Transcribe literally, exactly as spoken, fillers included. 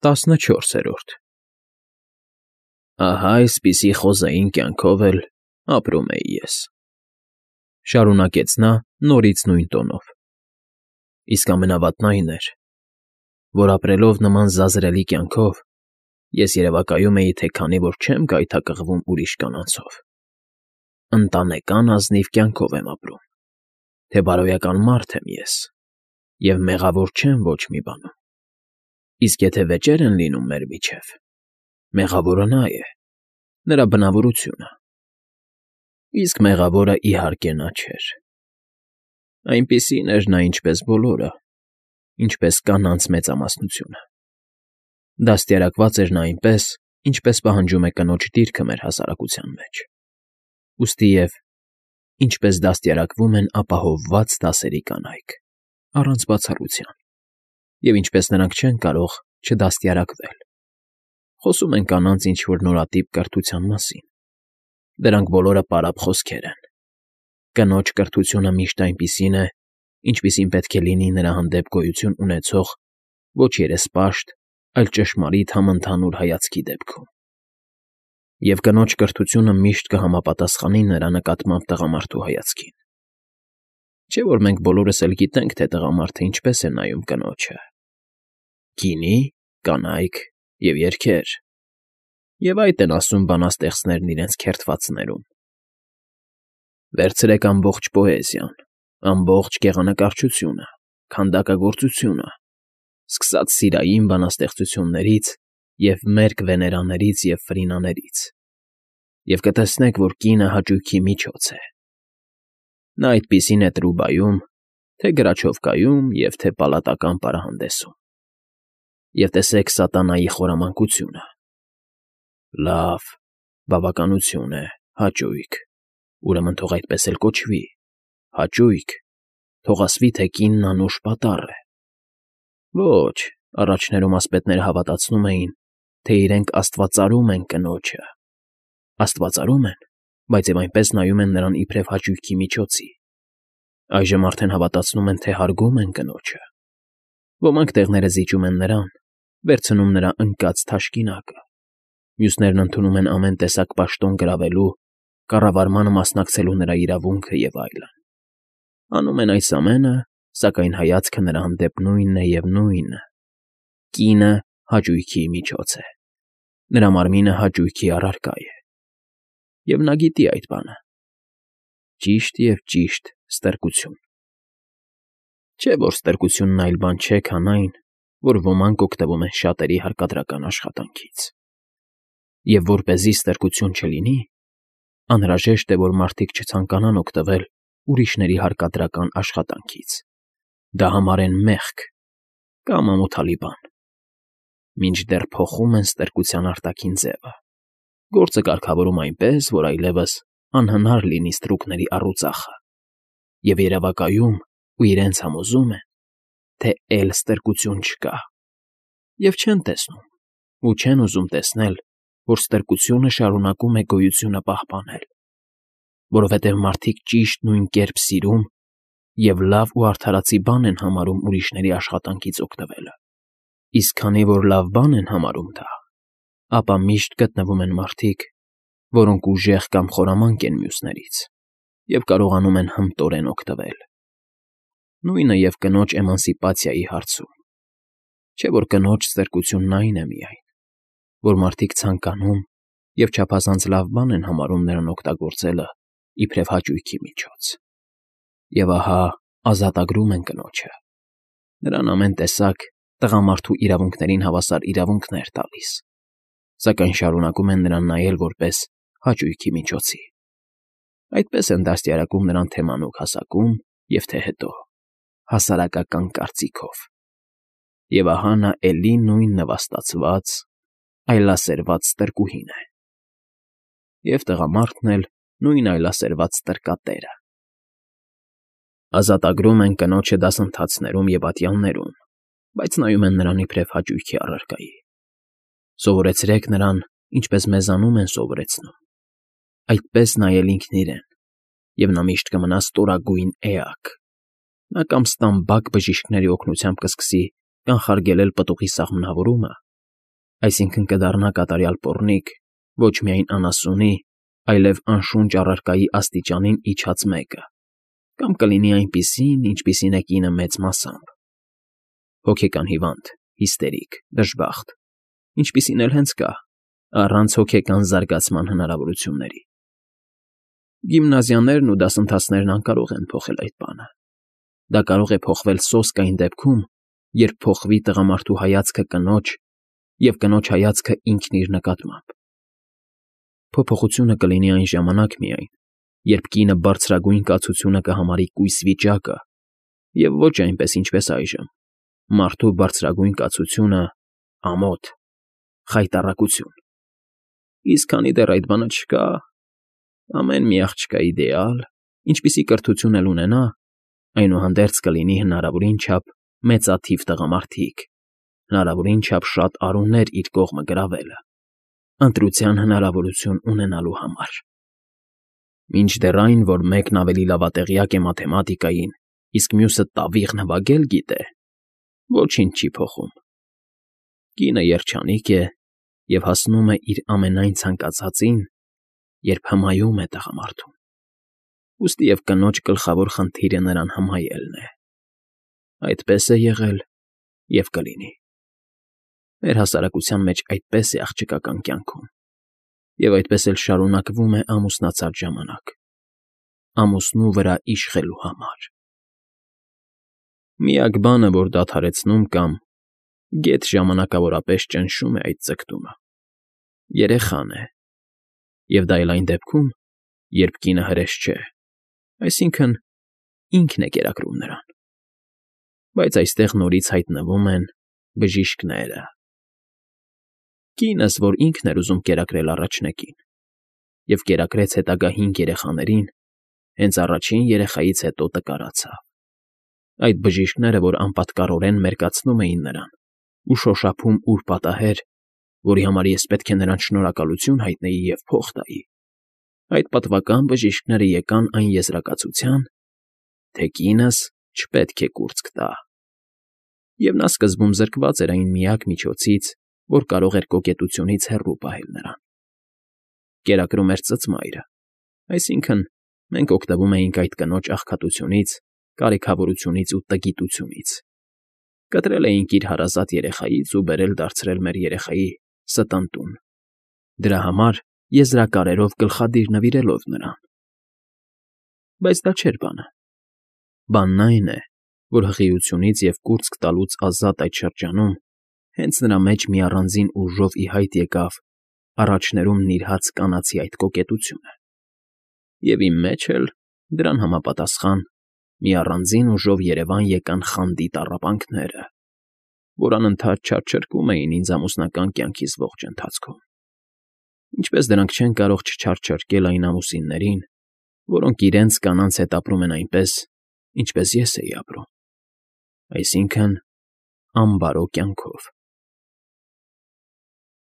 Տասնչորսերորդ Ահա այսպիսի խոզային կյանքով էլ ապրում էի ես,֊ շարունակեց նա նորից նույն տոնով,֊ իսկ ամենավատն այն էր, որ ապրելով նման զազրելի կյանքով, ես երևակայում էի, թե քանի որ չեմ գայթակղվում ուրիշ կանանցով, ընտանեկան ազնիվ կյանքով եմ ապրում, թե բարոյական մարդ եմ ես և մեղավոր չեմ ոչ մի բանում, իսկ եթե վեճեր են լինում մեր միջև, մեղավորը նա է, նրա բնավորությունը, իսկ մեղավորը, իհարկե, նա չէր. այնպիսին էր նա, ինչպես բոլորը, ինչպես կանանց մեծամասնությունը, դաստիարակված էր նա այնպես, ինչպես պահանջում է կնոջ դիրքը մեր հասարակության մեջ, ուստի և ինչպես դաստիարակվում են ապահովված դասերի կանայք, առանց բացառության, և ինչպես նրանք չեն կարող չդաստիարակվել. խոսում են կանանց ինչ֊որ նորատիպ կրթության մասին, դրանք բոլորը պարապ խոսքեր են, կնոջ կրթությունը միշտ այնպիսին է, ինչպիսին պետք է լինի նրա հանդեպ գոյություն ունեցող ոչ երեսպաշտ, այլ ճշմարիտ համընդհանուր հայացքի դեպքում, և կնոջ կրթությունը միշտ կհամապատասխանի նրա նկատմամբ տղամարդու հայացքին, չէ՞ որ մենք բոլորս էլ գիտենք, թե տղամարդը ինչպես է նայում կնոջը. գինի, կանայք և երգեր, և այդ են ասում բանաստեղծներն իրենց քերթվածներում. վերցրեք ամբողջ պոեզիան, ամբողջ գեղանկարչությունը, քանդակագործությունը, սկսած սիրային բանաստեղծություններից և մերկ վեներաներից և ֆրինաներից, և կտեսնեք, որ կինը հաճույքի միջոց է. նա այդպիսին է տրուբայում, թե գրաչովկայում և թե պալատական պարահանդեսում, և տեսեք սատանայի խորամանկությունը. լավ, բավականություն է, հաճույք, ուրեմն թող այդպես էլ կոչվի, հաճույք, թող ասվի, թե կինն անուշ պատառ է, ոչ, առաջներում ասպետները հավատացնում էին, թե իրենք աստվածարում են կնոջը, աստվածարում են, բայց և այնպես նայում են նրան իբրև հաճույքի միջոցի, այժմ արդեն հավատացնում են, թե հարգում են կնոջը, ոմանք տեղները զիջում են նրան, վերցնում նրա ընկած թաշկինակը, մյուսներն ընդունում են ամեն տեսակ պաշտոն գրավելու, կառավարմանը մասնակցելու նրա իրավունքը և այլն, անում են այս ամենը, սակայն հայացքը նրա հանդեպ նույնն է և նույնը. կինը հաճույքի միջոց է, նրա մարմինը հաճույքի առարկա է, և նա գիտի այդ բանը, ճիշտ և ճիշտ ստրկություն, չէ՞ որ ստրկությունն այլ բան չէ, քան այն, որ ոմանք օգտվում են շատերի հարկադրական աշխատանքից, և որպեսզի ստրկություն չլինի, անհրաժեշտ է, որ մարդիկ չցանկանան օգտվել ուրիշների հարկադրական աշխատանքից, դա համարեն մեղք կամ ամոթալի բան, մինչդեռ փոխում են ստրկության արտաքին ձևը, գործը կարգավորում այնպես, որ այլևս անհնար լինի ստրուկների առուծախը, և երևակայում ու իրենց համոզում են, թե էլի ստրկություն չկա, և չեն տեսնում ու չեն ուզում տեսնել, որ ստրկությունը շարունակում է գոյությունը պահպանել, որովհետև մարդիկ ճիշտ նույն կերպ սիրում և լավ ու արդարացի բան են համարում ուրիշների աշխատանքից օգտվելը, իսկ քանի որ լավ բան են համարում դա, ապա միշտ գտնվում են մարդիկ, որոնք ուժեղ կամ խորամանկ են մյուսներից և կարողանում են հմտորեն օգտվել, նույնը և կնոջ էմանսիպացիայի հարցում, չէ՞ որ կնոջ ստրկությունն այն է միայն, որ մարդիկ ցանկանում և չափազանց լավ բան են համարում նրան օգտագործելը իբրև հաճույքի միջոց, և ահա ազատագրում են կնոջը, նրան ամեն տեսակ տղամարդու իրավունքներին հավասար իրավունքներ տալիս, սակայն շարունակում են նրան նայել որպես հաճույքի միջոցի, այդպես են դաստիարակում նրան թե մանուկ հասակում և թե հետո, հասարակական կարծիքով, և ահա նա էլի նույն նվաստացված, այլասերված ստրկուհին է, և տղամարդն էլ նույն այլասերված ստրկատերը, ազատագրում են կնոջը դասընթացներում և ատյաններում, բայց նայում են նրան իբրև հաճույքի առարկայի, սովորեցրեք նրան, ինչպես մեզանում են սովորեցնում, այդպես նայել ինքն իրեն, և նա միշտ կմնա ստորագույն էակ, նա կամ ստամբակ բժիշկների օգնությամբ կսկսի կանխարգելել պտուղի սաղմնավորումը Այսինքն կդառնա կատարյալ պոռնիկ, ոչ միայն անասունի, այլև անշունչ առարկայի աստիճանին իջած մեկը, կամ կլինի այնպիսին, ինչպիսին է կինը մեծ մասամբ. հոգեկան հիվանդ, հիստերիկ, դժբախտ, ինչպիսին էլ հենց կա, առանց հոգեկան զարգացման հնարավորությունների։ Գիմնազիաներն ու դասընթացներն անկարող են փոխել այդ բանը։ Դա կարող է փոխվել սոսկ այն դեպքում, երբ փոխվի տղամարդու հայացքը կնոջ և կնոջ հայացքը ինքն իր նկատմամբ։ Փոփոխությունը կլինի այն ժամանակ միայն, երբ կինը բարձրագույն կացությունը կհամարի կույս վիճակը, և ոչ այնպես, ինչպես այժմ, մարդու բարձրագույն կացությունը՝ ամոթ, խայտառակություն։ Իսկ քանի դեռ այդ բանը չկա, ամեն մի աղջկա իդեալ, ինչպիսի կրթություն էլ ունենա, այնուհանդերձ կլինի հնարավորին չափ մեծաթիվ տղամարդիկ, հնարավորին չափ շատ արուներ իր կողմը գրավելը, ընտրության հնարավորություն ունենալու համար։ Մինչդեռ այն, որ մեկն ավելի լավատեղյակ է մաթեմատիկային, իսկ մյուսը տավիղ նվագել գիտե, ոչինչ չի փոխում։ Կինը երջանիկ է և հասնում է իր ամենայն ցանկացածին, երբ հմայում է տղամարդուն, ուստի և կնոջ գլխավոր խնդիրը նրան հմայելն է։ Այդպես է եղել և կլինի։ Մեր հասարակության մեջ այդպես է աղջկական կյանքում, և այդպես էլ շարունակվում է ամուսնացած ժամանակ, ամուսնու վրա իշխելու համար։ Միակ բանը, որ դադարեցնում կամ գեթ ժամանակավորապես ճնշում է այդ ձգտումը, երեխան է, և դա էլ այն դեպքում, երբ կինը հրես չէ, այսինքն՝ ինքն է կերակրում նրան։ Բայց այստեղ նորից հայտնվում են բժիշկները։ Կինս, որ ինքն էր ուզում կերակրել առաջնեկին և կերակրեց հետագա հինգ երեխաներին, հենց առաջին երեխայից հետո տկարացավ։ Այդ բժիշկները, որ անպատկառորեն մերկացնում էին նրան ու շոշափում ուր պատահեր, որի համար ես պետք է նրանց շնորհակալություն հայտնեի և փող տայի, այդ պատվական բժիշկները եկան այն եզրակացության, թե կինս չպետք է կուրծք տա։ Եվ նա սկզբում զրկված էր այն միակ միջոցից, որ կարող էր կոկետությունից հեռու պահել նրան։ Կերակրում էր ծծմայրը, այսինքն՝ մենք օգտվում էինք այդ կնոջ աղքատությունից, կարիքավորությունից ու տգիտությունից, կտրել էինք իր հարազատ երեխայից ու բերել դարձրել մեր երեխայի ստընտուն, դրա համար եզրակարերով գլխադիր նվիրելով նրան։ Բայց դա չէր բանը։ Բանն այն է, որ հղիությունից և կուրծք տալուց ազատ այդ շրջանում հենց նրա մեջ մի առանձին ուժով ի հայտ եկավ առաջներում նիրհած կանացի այդ կոկետությունը, և իմ մեջ էլ դրան համապատասխան մի առանձին ուժով երևան եկան խանդի տառապանքները, որ անընդհատ չարչարկում էին ինձ ամուսնական կյանքիս ողջ ընթացքում։ Ինչպես դրանք չեն կարող չչարչարկել այն ամուսիններին, որոնք իրենց կանանց հետ ապրում են այնպես, ինչպես ես էի ապրում, այսինքն՝ անբարո կյանքով։